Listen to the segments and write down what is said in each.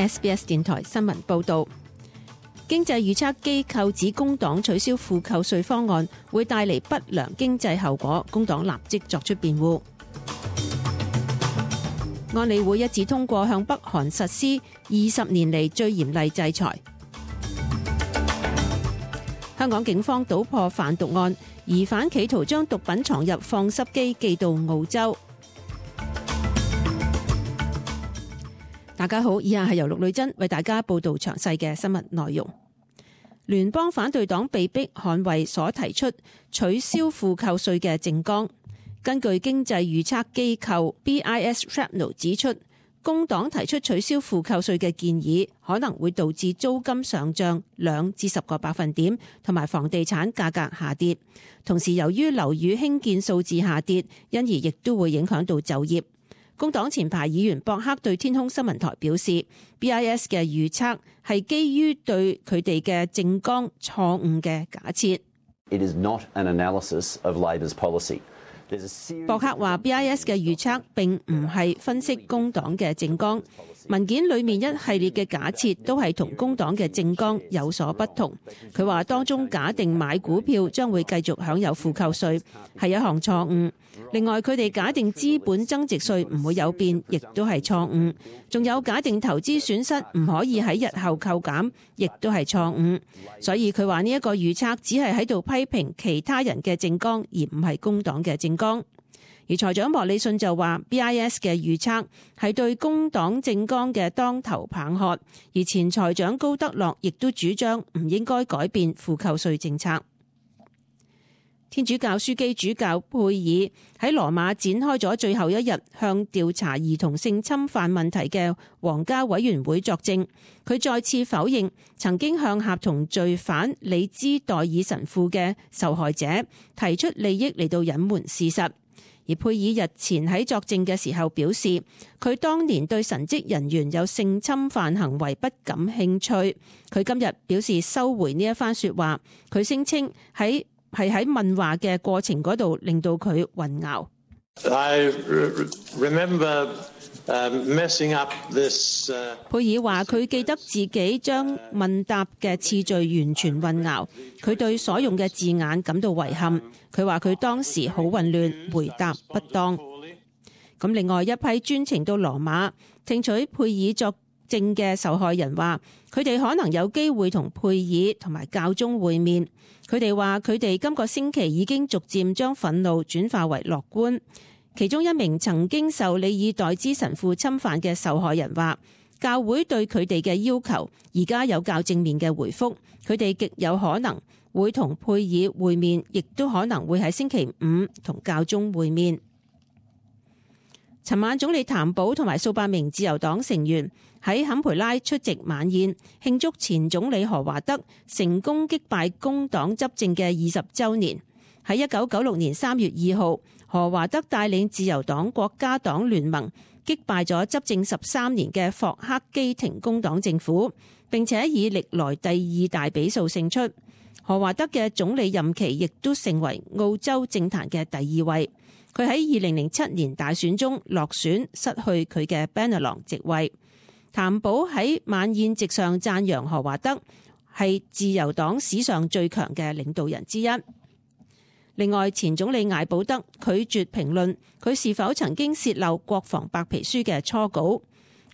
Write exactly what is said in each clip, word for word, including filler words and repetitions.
S B S 電台新聞報導。經濟預測機構指工黨取消負扣稅方案會帶嚟不良經濟後果，工黨立即作出辯護。安理會一致通過向北韓實施二十年嚟最嚴厲制裁。香港警方搗破販毒案，疑犯企圖將毒品藏入放濕機寄到澳洲。大家好，以下係由陸女珍為大家報道詳細嘅新聞內容。聯邦反對黨被迫捍衛所提出取消負扣稅嘅政綱。根據經濟預測機構 B I S Shrapnel 指出，工黨提出取消負扣稅嘅建議可能會導致租金上漲兩至十個百分點，同埋房地產價格下跌。同時，由於樓宇興建數字下跌，因而亦都會影響到就業。工黨前排議員博克對天空新聞台表示 ，B I S 嘅預測係基於對佢哋嘅政綱錯誤嘅假設。It is not an analysis of Labor's policy.博克話 B I S 嘅預測並唔係分析工黨嘅政綱，文件裏面一系列嘅假設都係同工黨嘅政綱有所不同。佢話當中假定買股票將會繼續享有負扣稅係一項錯誤，另外佢哋假定資本增值稅唔會有變，亦都係錯誤，仲有假定投資損失唔可以喺日後扣減，亦都係錯誤。所以佢話呢一個預測只係喺度批評其他人嘅政綱，而唔係工黨嘅政綱。而財長莫里遜就話 B I S 嘅預測係對工黨政綱嘅當頭棒喝，而前財長高德樂亦都主張唔應該改變負扣稅政策。天主教樞機主教佩爾喺羅馬展開咗最後一日向調查兒童性侵犯問題嘅皇家委員會作證，佢再次否認曾經向合同罪犯里茲代爾神父嘅受害者提出利益嚟到隱瞞事實。而佩爾日前喺作證嘅時候表示，佢當年對神職人員有性侵犯行為不感興趣。佢今日表示收回呢一番說話，佢聲稱喺係喺問話嘅過程嗰度令到佢混淆。I remember messing up this. 佩爾話佢記得自己將問答嘅次序完全混淆，佢對所用嘅字眼感到遺憾。佢話佢當時好混亂，回答不當。咁另外一批專程到羅馬聽取佩爾作證嘅受害人話，佢哋可能有機會同佩爾同埋教宗會面。佢哋話佢哋今個星期已經逐漸將憤怒轉化為樂觀。其中一名曾經受里爾代茲神父侵犯嘅受害人話，教會對佢哋嘅要求而家有較正面嘅回覆，佢哋極有可能會同佩爾會面，亦都可能會喺星期五同教宗會面。尋晚總理譚寶同埋數百名自由黨成員喺坎培拉出席晚宴，慶祝前總理何華德成功擊敗工黨執政嘅二十週年。喺一九九六年三月二號，何華德帶領自由黨國家黨聯盟擊敗咗執政十三年嘅霍克基廷工黨政府，並且以歷來第二大比數勝出。何華德嘅總理任期亦都成為澳洲政壇嘅第二位。佢喺二零零七年大選中落選，失去佢嘅 Bennelong 席位。譚寶喺晚宴席上讚揚何華德係自由黨史上最強嘅領導人之一。另外，前總理艾保德拒絕評論佢是否曾經洩漏國防白皮書嘅初稿。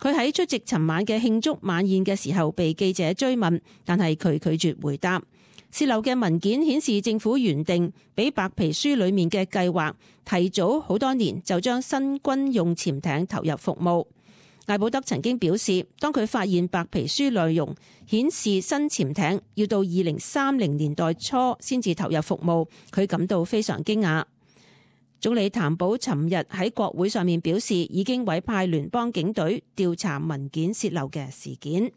佢喺出席尋晚嘅慶祝晚宴嘅時候被記者追問，但係佢拒絕回答。洩漏嘅文件顯示政府原定比白皮書裡面嘅計劃提早好多年就將新軍用潛艇投入服務。艾保德曾經表示，當佢發現白皮書內容顯示新潛艇要到二零三零年代初先至投入服務，佢感到非常驚訝。總理譚寶尋日喺國會上面表示，已經委派聯邦警隊調查文件洩漏嘅事件。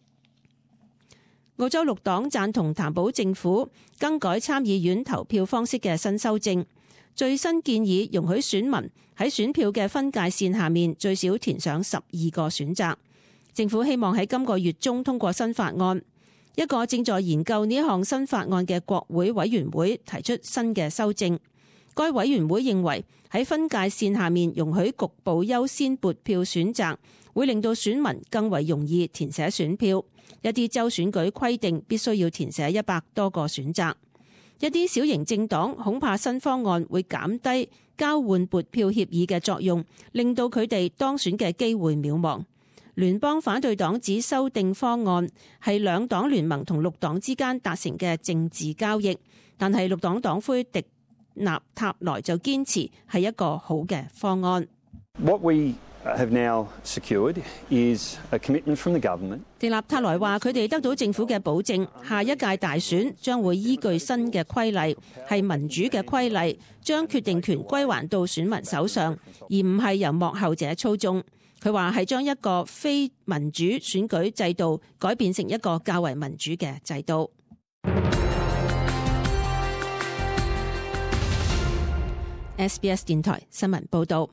澳洲綠黨贊同譚寶政府更改參議院投票方式嘅新修正，最新建議容許選民喺選票嘅分界線下面最少填上十二個選擇。政府希望喺今個月中通過新法案。一個正在研究呢項新法案嘅國會委員會提出新嘅修正。該委員會認為喺分界線下面容許局部優先撥票選擇，會令到選民更為容易填寫選票。一啲州選舉規定必須要填寫一百多個選擇。一啲小型政黨恐怕新方案會減低交換撥票協議嘅作用，令到佢哋當選嘅機會渺茫。聯邦反對黨指修訂方案係兩黨聯盟同綠黨之間達成嘅政治交易，但係綠黨黨魁迪納塔萊就堅持係一個好嘅方案。What we have now secured is a commitment from the government. 迪納塔萊話：佢哋得到政府嘅保證，下一屆大選將會依據新嘅規例，係民主嘅規例，將決定權歸還到選民手上，而唔係由幕後者操縱。佢話係將一個非民主選舉制度改變成一個較為民主嘅制度。S B S 電台新聞報導，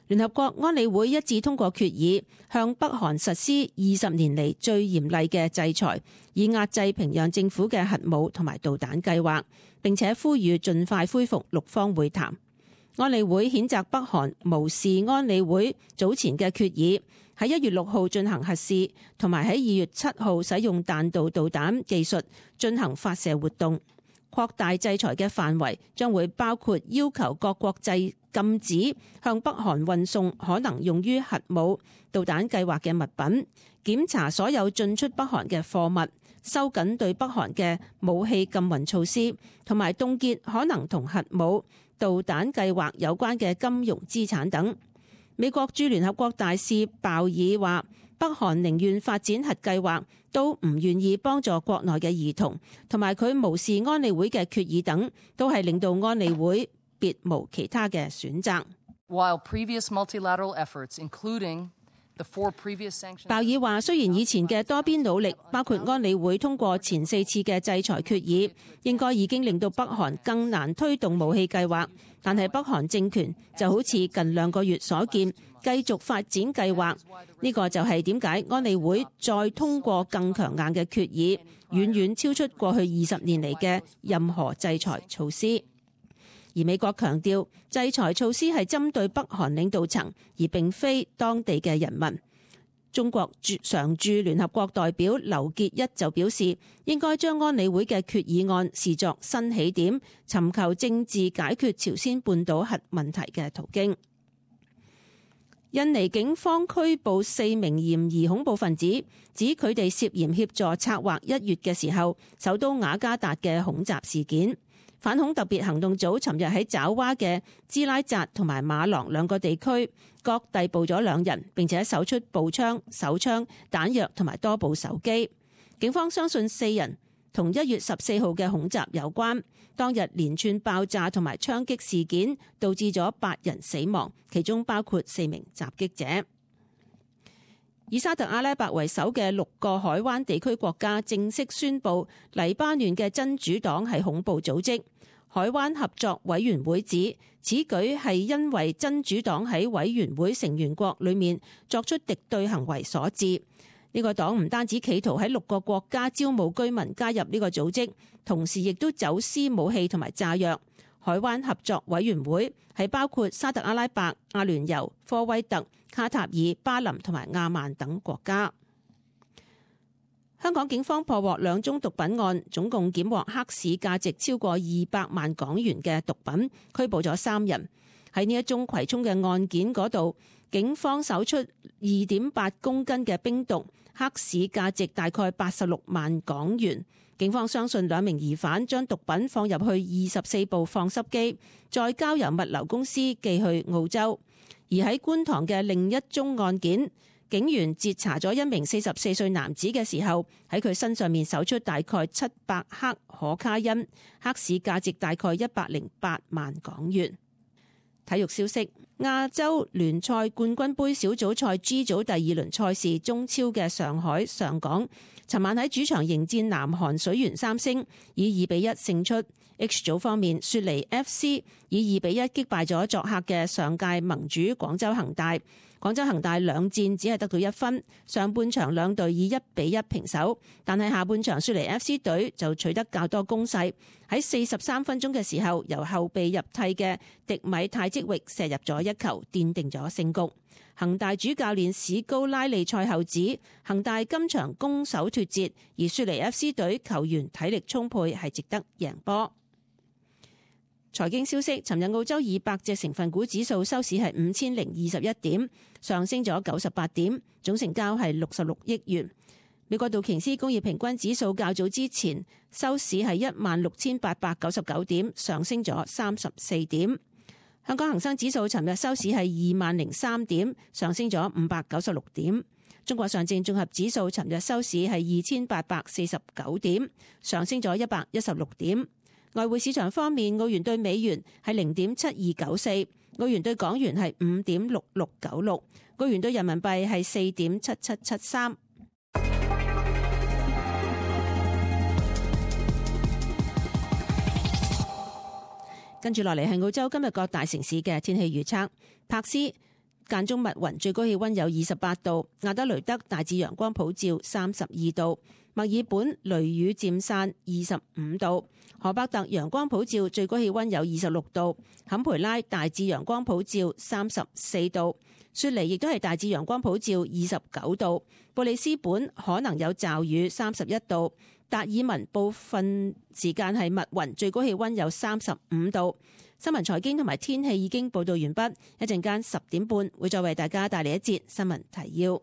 聯合國安理會一致通過決議，向北韓實施二十年嚟最嚴厲嘅制裁，以壓制平壤政府嘅核武同埋導彈計劃，並且呼籲盡快恢復六方會談。安理會譴責北韓無視安理會早前嘅決議，喺一月六號進行核試，同埋喺二月七號使用彈道導彈技術進行發射活動。擴大制裁嘅範圍將會包括要求各國際禁止向北韓運送可能用於核武、導彈計劃嘅物品，檢查所有進出北韓嘅貨物，收緊對北韓嘅武器禁運措施，同埋凍結可能同核武、導彈計劃有關嘅金融資產等。美國駐聯合國大使鮑爾話：北韓寧願發展核計劃，都唔願意幫助國內嘅兒童，同埋佢無視安理會嘅決議等，都係令到安理會別無其他嘅選擇。While previous multilateral efforts, including the four previous sanctions，鮑爾話：雖然以前嘅多邊努力，包括安理會通過前四次嘅制裁決議，應該已經令到北韓更難推動武器計劃，但係北韓政權就好似近兩個月所見，繼續發展計劃。呢個就係點解安理會再通過更強硬嘅決議，遠遠超出過去二十年嚟嘅任何制裁措施。而美國強調，制裁措施係針對北韓領導層，而並非當地嘅人民。中國常駐聯合國代表劉結一就表示，應該將安理會嘅決議案視作新起點，尋求政治解決朝鮮半島核問題嘅途徑。印尼警方拘捕四名嫌疑恐怖分子，指佢哋涉嫌協助策劃一月嘅時候首都雅加達嘅恐襲事件。反恐特別行動組尋日喺爪哇嘅支拉扎同埋馬郎兩個地區各逮捕咗兩人，並且搜出步槍、手槍、彈藥同埋多部手機。警方相信四人同一月十四號嘅恐襲有關。當日連串爆炸同埋槍擊事件導致咗八人死亡，其中包括四名襲擊者。以沙特阿拉伯為首嘅六個海灣地區國家正式宣布黎巴嫩嘅真主黨係恐怖組織。海灣合作委員會指此舉係因為真主黨喺委員會成員國裏面作出敵對行為所致。呢個黨唔單止企圖喺六個國家招募居民加入呢個組織，同時亦都走私武器同埋炸藥。海灣合作委員會係包括沙特阿拉伯、阿聯酋、科威特、卡塔爾、巴林同埋亞曼等國家。香港警方破獲兩宗毒品案，總共檢獲黑市價值超過二百萬港元嘅毒品，拘捕咗三人。喺呢一宗葵涌嘅案件嗰度，警方搜出二點八公斤嘅冰毒，黑市價值大概八十六萬港元。警方相信兩名疑犯將毒品放入去二十四部放濕機，再交由物流公司寄去澳洲。而喺觀塘嘅另一宗案件，警員截查咗一名四十四歲男子嘅時候，喺佢身上面搜出大概七百克可卡因，黑市價值大概一百零八萬港元。體育消息：亞洲聯賽冠軍盃小組賽 G 組第二輪賽事，中超嘅上海上港尋晚喺主場迎戰南韓水原三星，以二比一勝出。H 組方面，雪梨 F C 以二比一擊敗咗作客嘅上屆盟主廣州恒大。廣州恒大兩戰只係得到一分，上半場兩隊以一比一平手，但係下半場雪梨 F C 隊就取得較多攻勢。喺四十三分鐘嘅時候，由後備入替嘅迪米泰積域射入咗一球，奠定咗勝局。恒大主教練史高拉利賽後指，恒大今場攻守脫節，而雪梨 F C 隊球員體力充沛，係值得贏波。財經消息，尋日澳洲二百隻成分股指數收市係五千零二十一點，上升咗九十八點，總成交係六十六億元。美國道瓊斯工業平均指數較早之前收市係一萬六千八百九十九點，上升咗三十四點。香港恒生指數尋日收市係二萬零三點，上升咗五百九十六點。中國上證綜合指數尋日收市係二千八百四十九點，上升咗一百一十六點。外匯市場方面，澳元對美元係零點七二九四，澳元對港元係五點六六九六，澳元對人民幣係四點七七七三。跟住落嚟係澳洲今日各大城市嘅天氣預測。柏斯間中密雲，最高氣溫有二十八度；亞德雷德大致陽光普照，三十二度；墨爾本雷雨漸散，二十五度；荷伯特陽光普照，最高氣溫有二十六度；坎培拉大致陽光普照，三十四度；雪梨亦都係大致陽光普照，二十九度；布里斯本可能有驟雨，三十一度；達爾文部分時間係密雲，最高氣溫有三十五度。新聞財經同埋天氣已經報道完畢，一陣間十點半會再為大家帶嚟一節新聞提要。